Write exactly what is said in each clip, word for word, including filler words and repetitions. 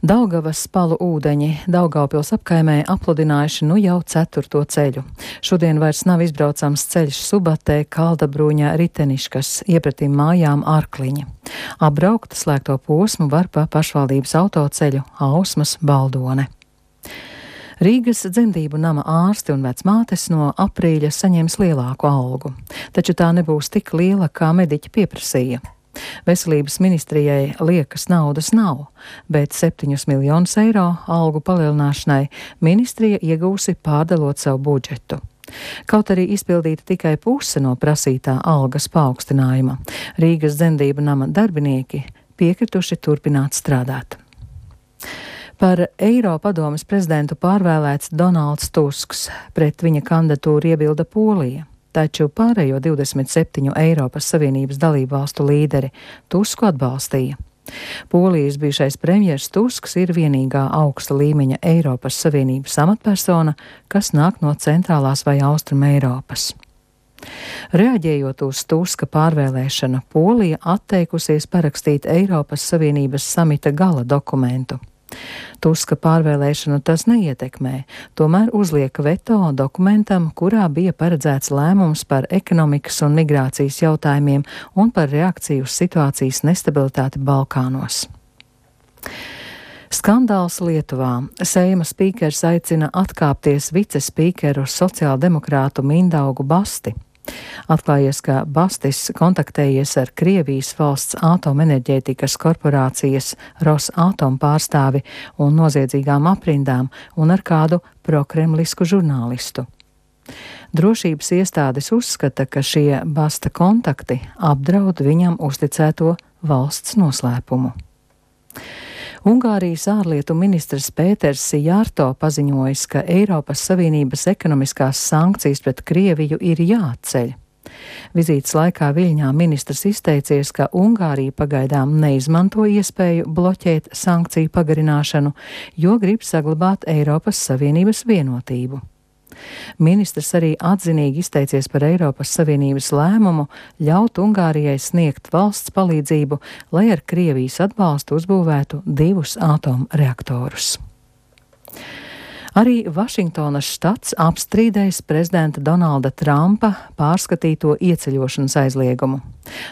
Daugavas palu ūdeņi Daugavpils apkaimē apludinājuši nu jau ceturto ceļu. Šodien vairs nav izbraucams ceļš Subatē, Kaldabruņa, Riteniškas, iepratīm mājām Arkliņa. Apbraukt slēgto posmu var pa pašvaldības autoceļu Ausmas Baldone. Rīgas dzemdību nama ārsti un vecmātes no aprīļa saņems lielāku algu, taču tā nebūs tik liela, kā mediķi pieprasīja. Veselības ministrijai liekas naudas nav, bet septiņus miljonus eiro algu palielināšanai ministrija iegūsi pārdalot savu budžetu. Kaut arī izpildīta tikai puse no prasītā algas paaugstinājuma, Rīgas dzemdību nama darbinieki piekrituši turpināt strādāt. Par Eiropadomes prezidentu pārvēlēts Donalds Tusks, pret viņa kandidatūru iebilda Polija. Taču pārējo divdesmit septiņu Eiropas Savienības dalību valstu līderi Tusku atbalstīja. Polijas bijušais premjers Tusks ir vienīgā augsta līmeņa Eiropas Savienības amatpersona, kas nāk no centrālās vai austrum Eiropas. Reaģējot uz Tuska pārvēlēšanu, Polija atteikusies parakstīt Eiropas Savienības samita gala dokumentu. Tuska pārvēlēšanu tas neietekmē, tomēr uzliek veto dokumentam, kurā bija paredzēts lēmums par ekonomikas un migrācijas jautājumiem un par reakciju uz situācijas nestabilitāti Balkānos. Skandāls Lietuvā. Seima spīkers aicina atkāpties vicespīkeru sociāldemokrātu Mindaugu Basti. Atklājies, ka Bastis kontaktējies ar Krievijas valsts atomenerģētikas korporācijas Rosatom pārstāvi un noziedzīgām aprindām un ar kādu prokremlisku žurnālistu. Drošības iestādes uzskata, ka šie Basta kontakti apdraud viņam uzticēto valsts noslēpumu. Ungārijas ārlietu ministrs Pēters Jārto paziņojis, ka Eiropas Savienības ekonomiskās sankcijas pret Krieviju ir jāatceļ. Vizītes laikā Viļņā ministrs izteicies, ka Ungārija pagaidām neizmanto iespēju bloķēt sankciju pagarināšanu, jo grib saglabāt Eiropas Savienības vienotību. Ministrs arī atzinīgi izteicies par Eiropas Savienības lēmumu ļaut Ungārijai sniegt valsts palīdzību, lai ar Krievijas atbalstu uzbūvētu divus atomreaktorus. Arī Vašingtonas štats apstrīdējis prezidenta Donalda Trumpa pārskatīto ieceļošanas aizliegumu.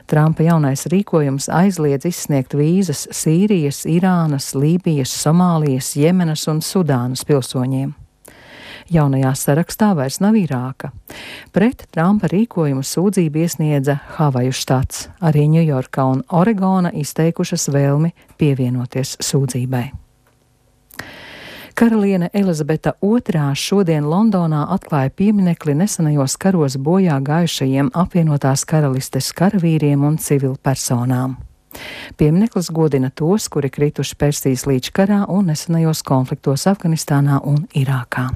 Trumpa jaunais rīkojums aizliedz izsniegt vīzas Sīrijas, Irānas, Lībijas, Somālijas, Jemenas un Sudānas pilsoņiem. Jaunajā sarakstā vairs nav Irāka. Pret Trumpa rīkojumu sūdzību iesniedza Havaju štats. Arī Ņujorka un Oregona izteikušas vēlmi pievienoties sūdzībai. Karaliene Elizabete otrā šodien Londonā atklāja pieminekli nesenajos karos bojā gājušajiem apvienotās karalistes karavīriem un civilpersonām. Piemineklis godina tos, kuri krituši Persijas līča karā un nesenajos konfliktos Afganistānā un Irākā.